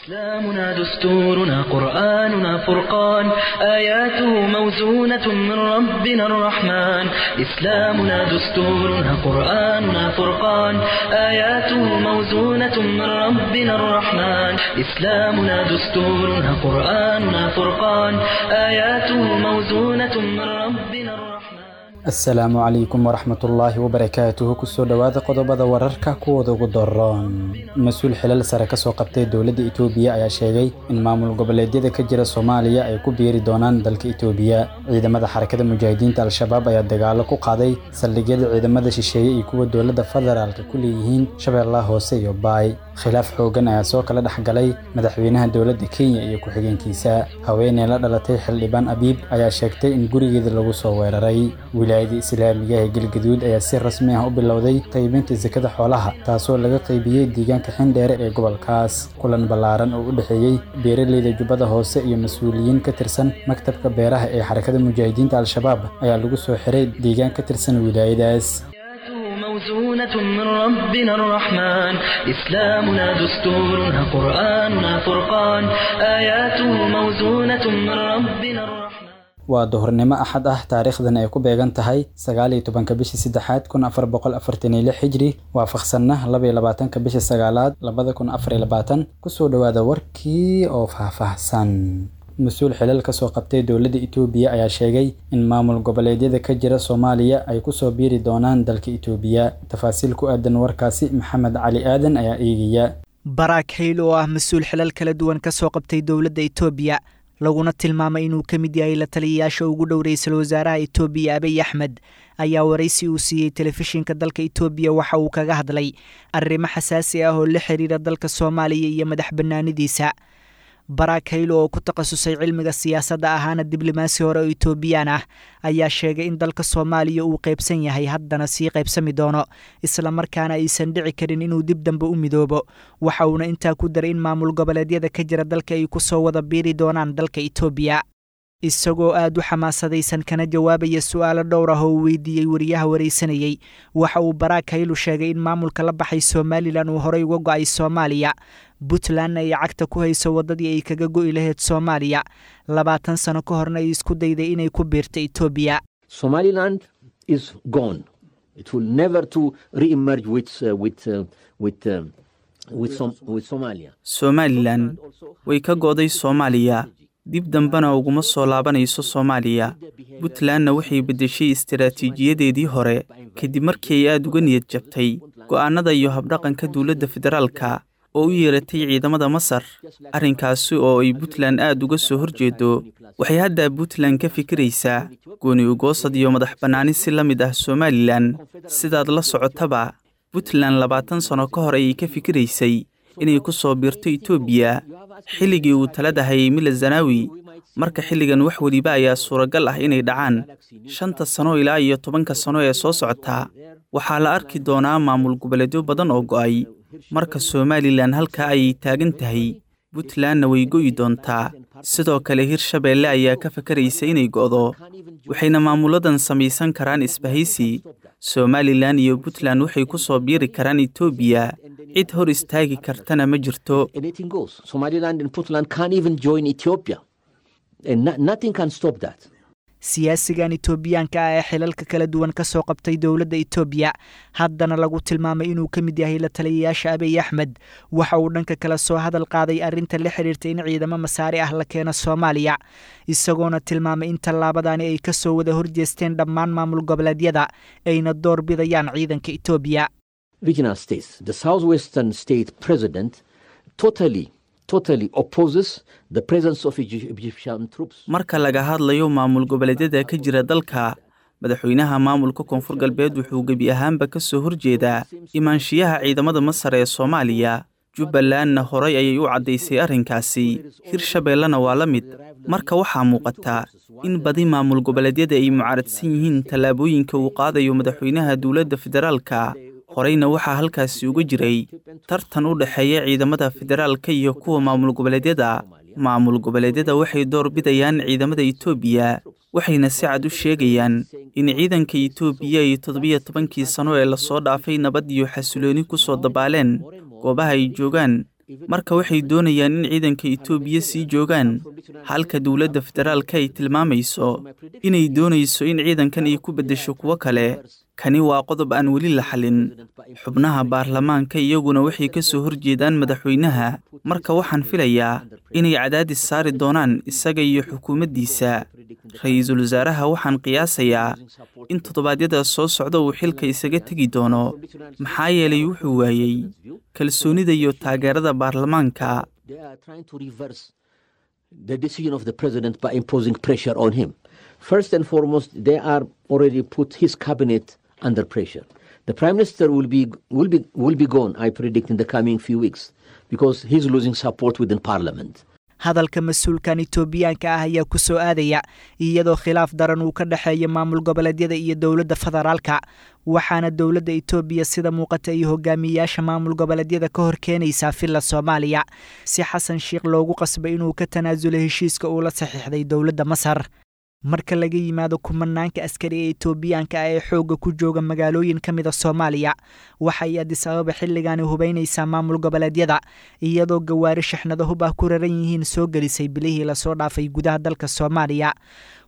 إسلامنا دستورنا قرآننا فرقان، آياته موزونة من ربنا الرحمن. إسلامنا دستورنا قرآننا فرقان، آياته موزونة من ربنا الرحمن. إسلامنا دستورنا قرآننا فرقان، آياته موزونة من ربنا الرحمن. Asalaamu calaykum waraxmatullaahi wabarakaatuhu. Kusoo dhowaada qodobada wararka kuwooda ugu daroon. Mas-uul xilal sare kasoo qabtay dowladda Itoobiya ayaa sheegay in maamul goboleedyada ka jira Soomaaliya ay ku biiri doonaan dalka Itoobiya. Ciidamada Xarakada Mujaahidiinta Al-Shabaab ayaa dagaalo ku qaaday saldhigyada ciidamada shisheeye iyo kuwa dowladda federaalka ku leeyihiin Shabeellaha Hoose iyo Baay. Khilaaf xoogan ayaa soo kala dhex galay madaxweynaha dowladda Kenya iyo ku-xigeenkiisa. Haweeney la dhalatay xildhibaan Abiib ayaa sheegtay in gurigeeda lagu soo weeraray. Wilaayada Islaamiga ee Galgaduud ayaa si rasmi ah u bilowday qaybinta sakada xoolaha, taasoo laga qaybiyey deegaanka Xindheere ee gobolkaas. Kulan ballaaran oo u dhexeeyey beeraleyda Jubbada Hoose iyo mas-uuliyiin ka tirsan maktabka beeraha ee Xarakada Mujaahidiinta Al-Shabaab ayaa lagu soo xiray deegaan ka tirsan wilaayadaas. آياته موزونة من ربنا الرحمن، إسلامنا دستورنا قرآننا فرقان، آياته موزونة من ربنا الرحمن. Waa duhurnimo Axad ah, taariikhdan ay ku beegan tahay 19-ka bishii saddexaad 1446 Hijri, waafaqsanna 22-ka bishii sagaalaad 2024. Kusoo dhowaada warkii oo faahfaahsan. Mas-uul xilal kasoo qabtay dowladda Itoobiya ayaa sheegay in maamul goboleedyada ka jira Soomaaliya ay kusoo biiri doonaan dalka Itoobiya. Tafaasiil ku aadan warkaasi Maxamed Cali Aadan ayaa eegaya. Baraak Hayl oo ah mas-uul xilal kala duwan kasoo qabtay dowladda Itoobiya, laguna tilmaamay inuu ka mid yahay la taliyayaasha ugu dhow ra-iisul wasaaraha Itoobiya Abiy Axmed, ayaa waraysi uu siiyey telefishinka dalka Itoobiya waxa uu kaga hadlay arrimo xasaasi ah oo la xiriira dalka Soomaaliya iyo madax bannaanidiisa. Baraak Haylo oo ku takhasusay cilmiga siyaasadda ahaana diblomaasi hore oo Itoobiyaan ah ayaa sheegay in dalka Soomaaliya uu qaybsan yahay, haddana sii qaybsami doono, islamarkaana aysan dhici karin inuu dib dambe u midoobo. Waxa uuna intaa ku daray in maamul goboleedyada ka jira dalka ay ku soo wada biiri doonaan dalka Itoobiya. Isagoo aad u xamaasadaysan kana jawaabaya su-aalo dhowr ah oo uu weydiiyey wariyaha waraysanayey, waxa uu Baraak Haylu sheegay in maamulka la baxay Somalilan uu horey uga go'ay Soomaaliya, Puntlandna ay cagta ku hayso waddadii ay kaga go'i lahayd Soomaaliya, 20 sano ka horna ay isku dayday inay ku biirto Itoobiya. Somaliland is gone. It will never to re-emerge with Somalia. Somalilan way ka go'day Soomaaliya, dib dambena uguma soo laabanayso Soomaaliya. Puntlandna waxay beddeshay istaraatiijiyadeedii hore kadib markii ay aad uga niyad jabtay go'aannada iyo habdhaqanka dowladda federaalka oo u yeeratay ciidamada Masar, arrinkaasi oo ay Puntland aad uga soo horjeedo. Waxay hadda Puntland ka fikiraysaa gooni ugoosad iyo madax bannaani si la mid ah Somalilan. Sidaad la socotaba, Puntland 20 sano ka hor ayay ka fikiraysay inay ku soo biirto Itoobiya xilligii uu talada hayay Mila Zanawi. Marka xilligan wax weliba ayaa suuragal ah inay dhacaan. 5-ta sano ilaa iyo 10-ka sano ee soo socota waxaa la arki doonaa maamul goboleedyo badan oo go'ay. Marka Somalilan halkaa ayay taagan tahay, Puntlandna way go'i doontaa. Sidoo kale Hirshabeelle ayaa ka fakaraysa inay go'do, waxayna maamuladan samaysan karaan isbahaysi. Somalilan iyo Puntland waxay ku soo biiri karaan Itoobiya, cid hor istaagi kartana ma jirto. Anything goes. Somaliland and Puntland can't even join Ethiopia. And nothing can stop that. Siyaasigan Itoobiyaanka ah ee xilalka kala duwan ka soo qabtay dowladda Itoobiya, haddana lagu tilmaamay inuu ka mid yahay la taliyayaasha Abiy Axmed, waxa uu dhanka kale soo hadal qaaday arrinta la xiriirta in ciidamo Masaari ah la keeno Soomaaliya, isagoona tilmaamay in tallaabadani ay ka soo wada horjeesteen dhammaan maamul goboleedyada, ayna door bidayaan ciidanka Itoobiya. Regional states. The southwestern state president totally opposes the presence of Egyptian troops. Marka laga hadlayo maamul goboleedyada ka jira dalka, madaxweynaha maamulka Koonfur Galbeed wuxuu gebi ahaanba ka soo horjeedaa imaanshiyaha ciidamada Masar ee Soomaaliya. Jubbalandna horay ayay u caddaysay arrinkaasi, Hirshabeellena waa la mid. Marka waxaa muuqata in badi maamul goboleedyada ay mucaaradsan yihiin tallaabooyinka uu qaadayo madaxweynaha dowladda federaalka. Horeyna waxaa halkaasi uga jiray tartan u dhexeeya ciidamada federaalka iyo kuwa maamul goboleedyada. Maamul goboleedyada waxay door bidayaan ciidamada Itoobiya, waxayna si cad u sheegayaan in ciidanka Itoobiya ay 17-kii sano ee lasoo dhaafay nabad iyo xasilooni ku soo dabaaleen goobaha ay joogaan. Marka waxay doonayaan in ciidanka Itoobiya sii joogaan, halka dowladda federaalka ay tilmaamayso inay doonayso in ciidankan ay ku beddesho kuwo kale. Kani waa qodob aan weli la xalin. Xubnaha baarlamaanka iyaguna waxay ka soo horjeedaan madaxweynaha. Marka waxaan filayaa inay cadaadis saari doonaan isaga iyo xukuumaddiisa. Ra'iisul wasaaraha waxaan qiyaasayaa in toddobaadyada soo socda uu xilka isaga tegi doono, maxaa yeelay wuxuu waayey kalsoonida iyo taageerada baarlamaanka. They are trying to reverse the decision of the president by imposing pressure on him. First and foremost, they are already put his cabinet under pressure. The prime minister will be gone, I predict, in the coming few weeks, because he's losing support within parliament. Hadalka mas-uulkan Itoobiyaanka ah ayaa ku soo aadaya iyadoo khilaaf daran uu ka dhexeeya maamul goboleedyada iyo dowladda federaalka, waxaana dowladda Itoobiya sida muuqata iyo hogaamiyeyaasha maamul goboleedyada ka hor keenaysaa Villa Soomaaliya si Xasan Sheikh loogu qasbay inuu ka tanaasulo heshiiska uu la saxiixday dowladda Masar. Marka laga yimaado kumanaanka askari ee Itoobiyaanka ah ee xoogga ku jooga magaalooyin ka mida Soomaaliya, waxay Addis Ababa xilligaani hubaynaysaa maamul goboleedyada, iyadoo gawaari shaxnado hub ah ku raran yihiin soo gelisay bilihii lasoo dhaafay gudaha dalka Soomaaliya.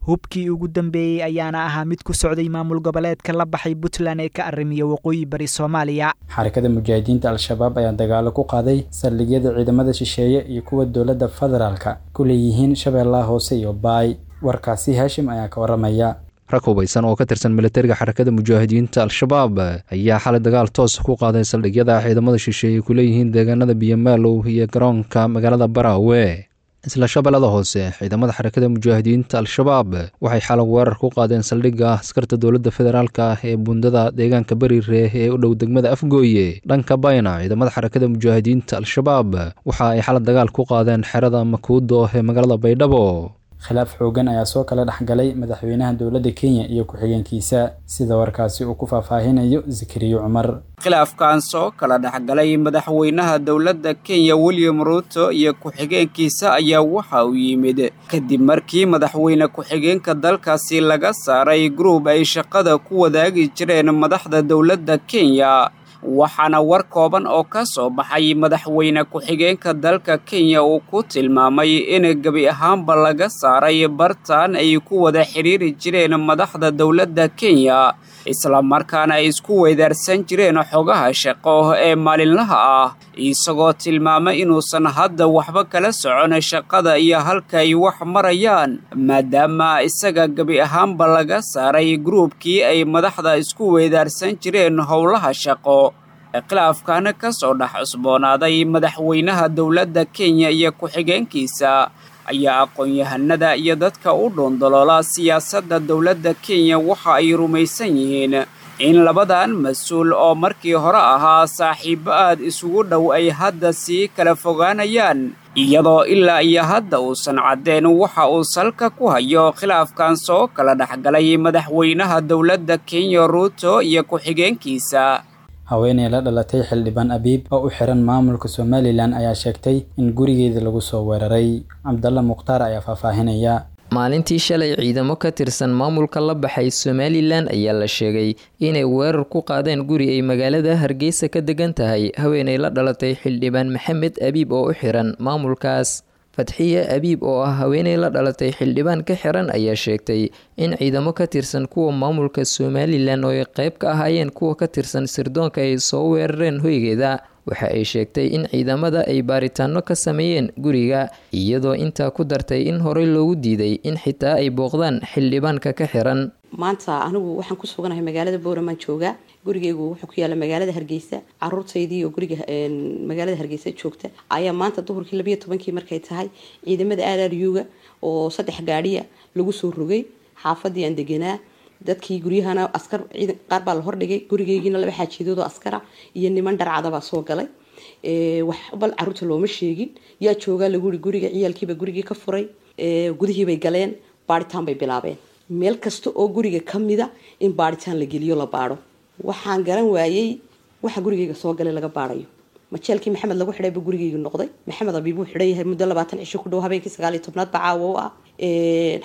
Hubkii ugu dambeeyey ayaana ahaa mid ku socday maamul goboleedka la baxay Puntland ee ka arrimiya waqooyi bari Soomaaliya. Xarakada Mujaahidiinta Al-Shabaab ayaa dagaalo ku qaaday saldhigyada ciidamada shisheeye iyo kuwa dowladda federaalka ku leeyihiin Shabeellaha Hoose iyo Baay. Warkaasi Haashim ayaa ka waramaya. Rag hubaysan oo ka tirsan militariga Xarakada Mujaahidiinta Al-Shabaab ayaa xalay dagaal toos ku qaaday saldhigyada ciidamada shisheeye ku leeyihiin deegaanada Biyomaalow iyo garoonka magaalada Baraawe. Isla Shabeellada Hoose, ciidamada Xarakada Mujaahidiinta Al-Shabaab waxay xalay weerar ku qaadeen saldhigga askarta dowladda federaalka ah ee buundada deegaanka Bariire ee u dhow degmada Afgooye. Dhanka Bayna, ciidamada Xarakada Mujaahidiinta Al-Shabaab waxa ay xalay dagaal ku qaadeen xerada Makuudo ee magaalada Baydhabo. Khilaaf xoogan ayaa soo kala dhexgalay madaxweynaha dowladda Kenya iyo ku-xigeenkiisa, sida warkaasi uu ku faahfaahinayo Zakariyo Cumar. Khilaafkan soo kala dhexgalay madaxweynaha dowladda Kenya William Ruto iyo ku-xigeenkiisa ayaa waxa uu yimid kadib markii madaxweyne ku-xigeenka dalkaasi laga saaray gruub ay shaqada ku wadaagi jireen madaxda dowladda Kenya. Waxaana war kooban oo ka soo baxay madaxweyne ku-xigeenka dalka Kenya uu ku tilmaamay in gebi ahaanba laga saaray bartaan ay ku wada xidhiiri jireen madaxda dowladda Kenya, islamarkaana ay isku weydaarsan jireen xogaha shaqo ee maalinlaha ah, isagoo tilmaamay inuusan hadda waxba kala socon shaqada iyo halka ay wax marayaan, maadaama isaga gebi ahaanba laga saaray gruubkii ay madaxda isku weydaarsan jireen howlaha shaqo. Khilaafkan ka soo dhex cusboonaaday madaxweynaha dowladda Kenya iyo ku-xigeenkiisa ayaa aqoon-yahanada iyo dadka u dhuundaloola siyaasadda dowladda Kenya waxa ay rumaysan yihiin in labadan mas-uul oo markii hore ahaa saaxiibo aad isugu dhow ay hadda sii kala fogaanayaan, iyadoo ilaa iyo hadda uusan caddeen waxa uu salka ku hayo khilaafkan soo kala dhexgalay madaxweynaha dowladda Kenya Ruto iyo ku-xigeenkiisa. Haweeney la dhalatay xildhibaan Abiib oo u xiran maamulka Somalilan ayaa sheegtay in gurigeeda lagu soo weeraray. Cabdalla Mukhtaar ayaa faahfaahinaya. Maalintii shalay, ciidamo ka tirsan maamulka la baxay Somalilan ayaa la sheegay inay weerar ku qaadeen guri ay magaalada Hargeysa ka degan tahay haweeney la dhalatay xildhibaan Maxamed Abiib oo u xiran maamulkaas. Fatxiye Abiib oo ah haweeney la dhalatay xildhibaan ka xiran ayaa sheegtay in ciidamo ka tirsan kuwa maamulka Somalilan oo ay qayb ka ahaayeen kuwa ka tirsan sirdoonka ay soo weerareen hoygeeda. Waxa ay sheegtay in ciidamada ay baaritaano ka sameeyeen guriga, iyadoo intaa ku dartay in horey loogu diiday in xitaa ay booqdaan xildhibaanka ka xiran. Maanta anigu waxaan ku suganahay magaalada Booramaan joogaa. Gurigeygu wuxuu ku yaala magaalada Hargeysa. Caruurtaydii oo guriga magaalada Hargeysa joogta ayaa maanta duhurkii 12-kii markay tahay ciidamada RRU-ga oo saddex gaadhiya lagu soo rogay xaafadii aan deganaa. Dadkii guryahana askar ciidan qaar baa la hordhigay, gurigeygiina laba xaajidood oo askara iyo niman dharcada baa soo galay. Wax bal caruurta looma sheegin yaa joogaa lagu yiri guriga. Ciyaalkiiba gurigii ka furay, gudihii bay galeen, baaritaan bay bilaabeen, meel kasta oo guriga ka mida in baaritaan la geliyo, la baadho. Waxaan garan waayey waxa gurigeyga soo galay laga baadhayo. Majeelkii Maxamed lagu xidhay buu gurigeyga noqday. Maxamed Abiib wuu xidhan yahay muddo 20 cisho ku dhow, habeenkii 19aad ba caawa u ah.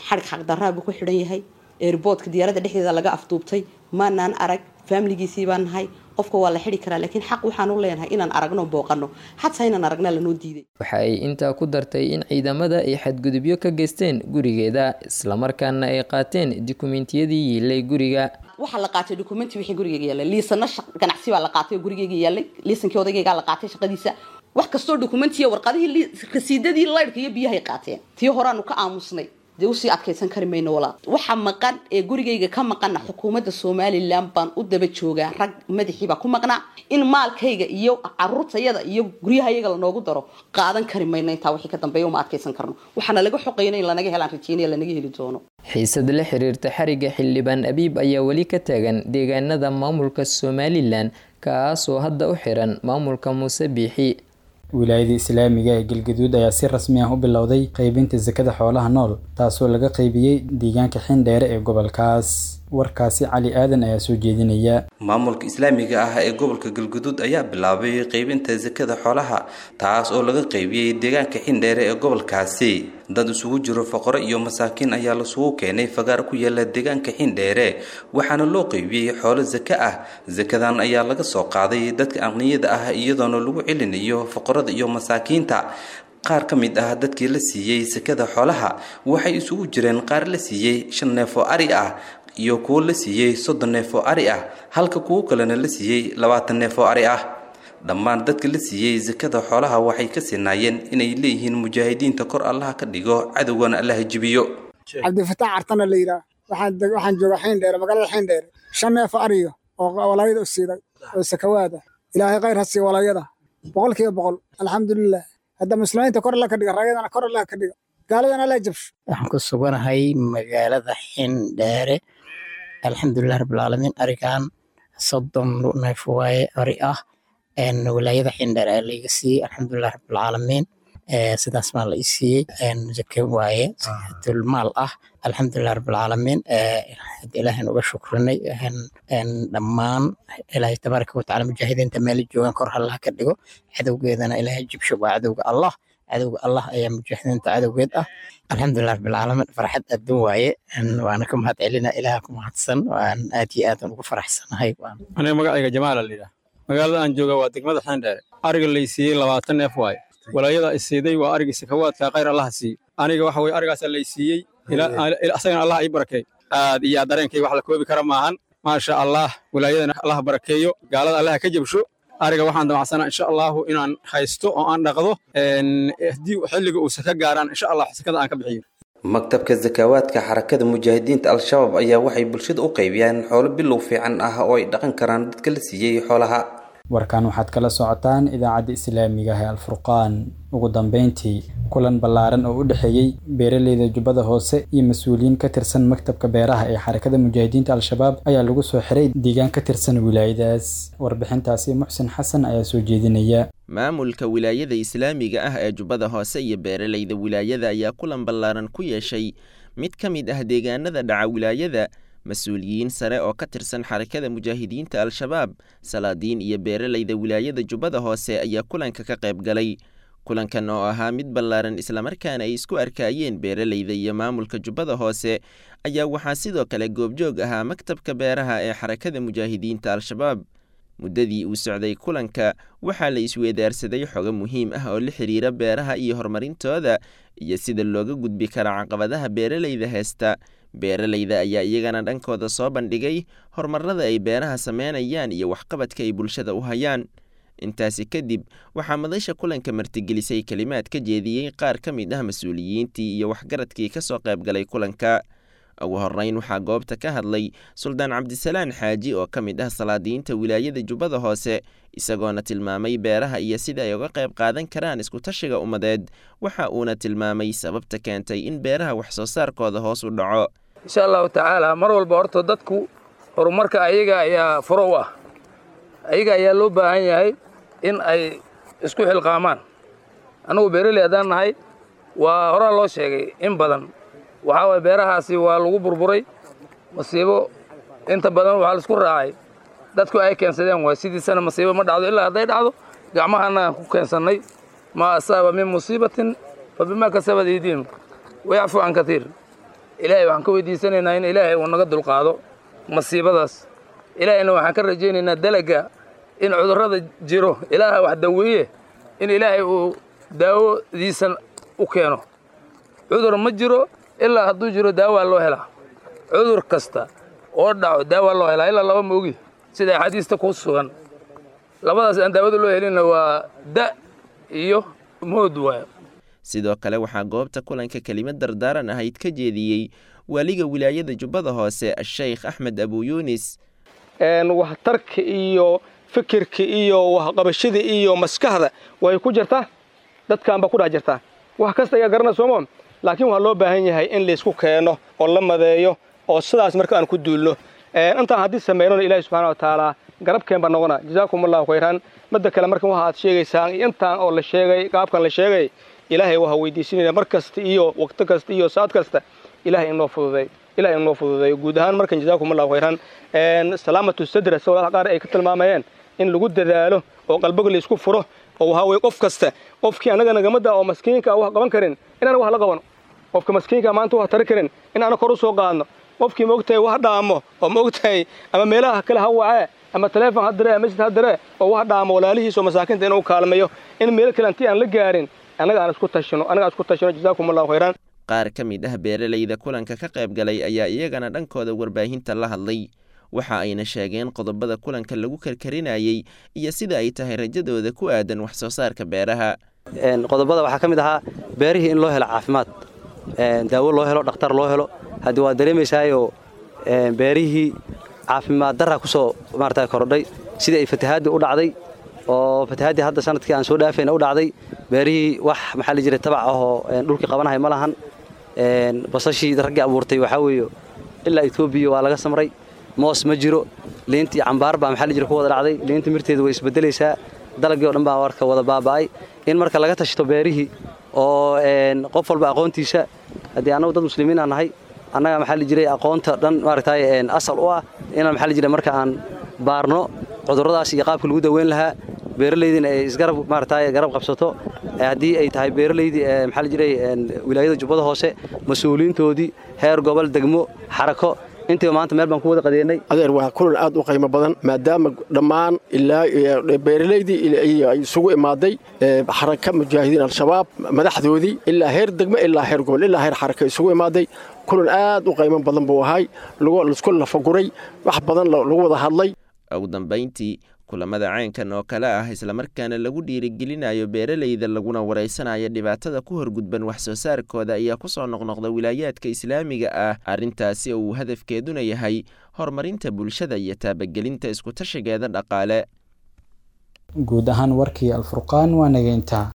Xadhig xaqdarraa buu ku xidhan yahay. Airportka diyaaradda dhexdeeda laga afduubtay. Maanaan arag, faamiligiisii baan nahay. Qofka waa la xidhi karaa, laakiin xaq waxaan u leenahay inaan aragno, booqano. Xataa inaan aragnaa lanoo diiday. Waxa ay intaa ku dartay in ciidamada ay xadgudubyo ka geysteen gurigeeda, islamarkaana ay qaateen dukumentiyadii yiilay guriga. Waxaa la qaatay dukumenti wixii gurigeyga yaallay, liisano ganacsi baa la qaatay oo gurigeyga yaallay, liisankii odaygaygaa la qaatay, shaqadiisa, wax kastoo dukumentiya, warqadihii, rasiidadii laydhka iyo biyahay qaateen. Tii horaanu ka aamusnay, dee usii adkaysan kari mayno walaal. Waxa maqan ee gurigayga ka maqana xukuumadda Somalilan baan u daba joogaa. Rag madaxii baa ku maqnaa in maalkayga iyo caruurtayada iyo guryahayaga lanoogu daro. Qaadan kari mayno intaa wixii ka dambeeya, uma adkaysan karno. Waxaana laga xoqayna in lanaga helaan rajeynaya, lanaga heli doono. Xiisad la xiriirta xariga xildhibaan Abiib ayaa weli ka taagan deegaanada maamulka Somalilan, kaasoo hadda u xiran maamulka Muuse Biixi. Wilaayada Islaamiga ee Galgaduud ayaa si rasmi ah u bilowday qaybinta sakada xoolaha nool, taasoo laga qaybiyey deegaanka Xindheere ee gobolkaas. Warkaasi Cali Aadan ayaa soo jeedinaya. Maamulka Islaamiga ah ee gobolka Galguduud ayaa bilaabay qaybinta sakada xoolaha, taas oo laga qaybiyey deegaanka Xindheere ee gobolkaasi. Dad isugu jiro faqro iyo masaakiin ayaa lasugu keenay fagaar ku yaala deegaanka Xindheere, waxaana loo qaybiyey xoolo sako ah. Sakadan ayaa laga soo qaaday dadka aqniyada ah, iyadoona lagu celinayo faqrada iyo masaakiinta. Qaar ka mid ah dadkii la siiyey sakada xoolaha waxay isugu jireen qaar la siiyey 5 neef oo ari ah iyo kuwo la siiyey 30 neef oo ari ah, halka kuwo kalena la siiyey 20 neef oo ari ah. Dhammaan dadka la siiyey sakada xoolaha waxay ka sinaayeen inay leeyihiin mujaahidiinta kor Allaha ka dhigo, cadowgana Allaha jibiyo. Cabdifataax Cartana la yidhaah, waxaan joogaa Xindheere, magaalada Xindheere. 5 neef oo ariyo oo walaayada u siiday oo sakawaada. Ilaahay khayr ha siiyo walaayada 100%. Alxamdulilah, hadda muslimiinta kor alla ka dhiga, raayadana kor alla ka dhiga, gaaladana alla jabsho. Waxaan ku suganahay magaalada Xindheere. Alxamdulilah rabbilcaalamiin, arigan 30 neef waaye, ari ah wilaayada Xindheere ayaa laiga siiyey. Alxamdulilah rabbilcaalamiin, sidaas baa la ii siiyey. Zake waaye, zakaatulmaal ah. Alxamdulilah rabbilcaalamiin, Ilaahan uga shukrinay dhammaan. Ilaahay tabaaraka watacaala mujaahidiinta meel joogaan kor Allah ka dhigo, cadowgeedana Ilaahay jibsho. Waa cadowga Allah, cadowga Allah ayaa mujaahidiinta cadowgeed ah. Alxamdulilah rabbilcaalamiin, farxad adduun waaye, waana ka mahad celina. Ilaah ku mahadsan, waan aad iyo aad ugu faraxsanahay. Aniga magacayga Jamaala la yidhaah, magaalada aan jooga waa degmada Xindheere. Ariga laysiiyey 20 neef waaye. Walaayada isiiday waa arigii sakawaadka, khayr Allaha siiyey. Aniga waxa weye arigaasaa laysiiyey, asagana Allah ii barakeey. Aad iyo aad dareenkay wax la koobi kara maahan. Maasha Allah, walaayadana Allah barakeeyo, gaalada Allah ka jabsho. Ariga waxaan damacsanaa insha Allahu inaan haysto oo aan dhaqdo, haddii xilliga uu saka gaaraan insha Allah sakada aan ka bixiyo. Maktabka Zakawaadka Xarakada Mujaahidiinta Al-Shabaab ayaa waxay bulshada u qaybiyaan xoolo bilow fiican ah oo ay dhaqan karaan dadka la siiyey xoolaha. Warkan waxaad kala socotaan idaacadda Islaamiga ah ee Alfurqaan. Ugu dambeyntii, kulan ballaaran oo u dhexeeyey beeraleyda Jubbada Hoose iyo mas-uuliyiin ka tirsan maktabka beeraha ee Xarakada Mujaahidiinta Al-Shabaab ayaa lagu soo xiray deegaan ka tirsan wilaayadaas. Warbixintaasi Muxsin Xasan ayaa soo jeedinaya. Maamulka wilaayada Islaamiga ah ee Jubbada Hoose iyo beeraleyda wilaayada ayaa kulan ballaaran ku yeeshay mid ka mid ah deegaanada dhaca wilaayada. Mas-uuliyiin sare oo ka tirsan Xarakada Mujaahidiinta Al-Shabaab, salaadiin iyo beeraleyda wilaayada Jubbada Hoose ayaa kulanka ka qayb galay. Kulankan oo ahaa mid ballaaran islamarkaana ay isku arkaayeen beeraleyda iyo maamulka Jubbada Hoose ayaa waxaa sidoo kale goobjoog ahaa maktabka beeraha ee Xarakada Mujaahidiinta Al-Shabaab. Muddadii uu socday kulanka waxaa la isweedaarsaday xogo muhiim ah oo la xiriira beeraha iyo horumarintooda iyo sida looga gudbi kara caqabadaha beeraleyda heesta. Beeraleyda ayaa iyagana dhankooda soo bandhigay horumarada ay beeraha sameynayaan iyo waxqabadka ay bulshada u hayaan. Intaasi kadib waxaa madasha kulanka martigelisay kelimaad ka jeediyey qaar ka mid ah mas-uuliyiintii iyo waxgaradkii ka soo qayb galay kulanka. Ugu horreyn waxaa goobta ka hadlay Suldaan Cabdisalaan Xaaji oo ka mid ah salaadiyiinta wilaayada Jubbada Hoose, isagoona tilmaamay beeraha iyo sida ay uga qayb qaadan karaan iskutashiga ummadeed. Waxa uuna tilmaamay sababta keentay in beeraha wax soo saarkooda hoos u dhaco. Insha Allahu tacaala, mar walba horta dadku horumarka ayaga ayaa furo u ah, ayaga ayaa loo baahan yahay in ay isku xilqaamaan. Annagu beeraley haddaan nahay, waa horaa loo sheegay in badan, waxaa waye beerahaasi waa lagu burburay masiibo. Inta badan waxaa laisku raacay dadku ay keensadeen waay. Sidiisana masiibo ma dhacdo ilaa hadday dhacdo gacmahana aan ku keensannay. Maa asaaba min musiibatin fa bimaa kasabat aydiihim wayacfu can katiir. Ilaahay waxaan ka weydiisanaynaa in Ilaahay uu naga dulqaado masiibadaas. Ilaahayna waxaan ka rajaynaynaa dalaga in cudurrada jiro Ilaaha wax daweeye, in Ilaahay uu daawodiisan u keeno. Cudur ma jiro, ilaa hadduu jiro daawaa loo helaa. Cudur kasta oo dhaco daawaa loo helaa, ilaa laba moogi sida axaadiista ku sugan. Labadaas aan daawada loo helinna waa da iyo mood waayo. Sidoo kale waxaa goobta kulanka kelimad dardaaran ahayd ka jeediyey waaliga wilaayada Jubbada Hoose, Sheikh Axmed Abu Yuunis. Waxtarka iyo fikirka iyo waxqabashada iyo maskaxda way ku jirtaa, dadkan ba ku dhex jirtaa, wax kasta ayaa garana soomo. Laakiin waxaa loo baahan yahay in laysku keeno oo la madeeyo, oo sidaas marka aan ku duulno. Intaan haddii sameynona Ilaahi subxaana wa tacaala garabkeen baa noqona. Jazaakum Allahu khayran. Midda kale, markan waxa aad sheegaysaan iyo intaan oo la sheegay, qaabkan la sheegay, Ilaahay waxa weydiisinayna mar kasta iyo waqti kasta iyo saad kasta Ilaahay inoo fududay, Ilaahay inoo fududeeyo guud ahaan. Markan jazaakum Allahu khayran. Salaamatu sadra, sida walaalaha qaar ay ka tilmaamayeen, in lagu dadaalo oo qalbiga la isku furo, oo waxaa weeye qof kasta, qofkii annaga nagamada oo maskiinka wax qaban karin inaan wax la qabano, qofka maskiinka maanta wax tari karin in aan kor u soo qaadno, qofkii maogtahay wax dhaamo oo maogtahay ama meelaha kale ha wacee ama taleefon ha diree ama masjid ha diree oo wax dhaamo walaalihiis oo masaakiinta inuu kaalmeeyo, in meel kale intii aan la gaarin annaga aan isku tashino, annaga aan isku tashino. Jazaakum Allahu khayran. Qaar ka mid ah beeralayda kulanka ka qayb galay ayaa iyagana dhankooda warbaahinta la hadlay. Waxa ayna sheegeen qodobada kulanka lagu karkarinayey iyo sida ay tahay rajadooda ku aadan wax soo saarka beeraha. Qodobada waxaa ka mid ahaa beerihii in loo helo caafimaad, daawo loo helo, dhakhtar loo helo. Haddii waa dareemaysaayo beerihii caafimaad darra ku soo maarata kordhay sidii ay fatahaaddii u dhacday, oo fatahaaddii hadda sanadkii aan soo dhaafayna u dhacday. Beerihii wax maxaa la jiray tabac ahoo dhulkii qabanahay ma lahan. Basashii raggii abuurtay waxaa weeye ilaa Etoobiya waa laga samray. Moos ma jiro, liintii cambaar baa maxaa la jira ku wada dhacday, liinta mirteedu way isbedelaysaa, dalagii oo dhan baa warka wada baaba'ay. In marka laga tashto beerihii oo qof walba aqoontiisa, haddii annagu dad muslimiin aan nahay, annaga maxaa la jiray aqoonta dhan maaragtay asal u ah, inaan maxaa la jiray marka aan baarno cudurradaas iyo qaabka lagu daweyn lahaa, beeralaydina ay isgarab maaragtay garab qabsato. Haddii ay tahay beeralaydii maxaa la jiray wilaayada Jubbada Hoose, mas-uuliyiintoodii heer gobol, degmo, xarako, intiiba maanta meel baan ku wada qadeennay. Adeer, waa kulan aad u qiimo badan, maadaama dhammaan ilaa beeralaydii ay isugu imaaday Xaraka Mujaahidiin Al-Shabaab madaxdoodii, ilaa heer degmo, ilaa heer gobol, ilaa heer xaraka isugu imaaday. Kulan aad u qiimo badan buu ahay, laisku lafaguray, wax badan lagu wada hadlay. Ugu dambayntii, kulamada caynkan oo kale ah, islamarkaana lagu dhiirigelinayo beeralayda laguna wareysanayo dhibaatada ku horgudban wax soo saarkooda, ayaa kusoo noqnoqda wilaayaadka islaamiga ah. Arrintaasi oo uu hadafkeeduna yahay horumarinta bulshada iyo taabagelinta iskutashigeeda dhaqaale. Guud ahaan warkii Alfurqaan waa naga intaa.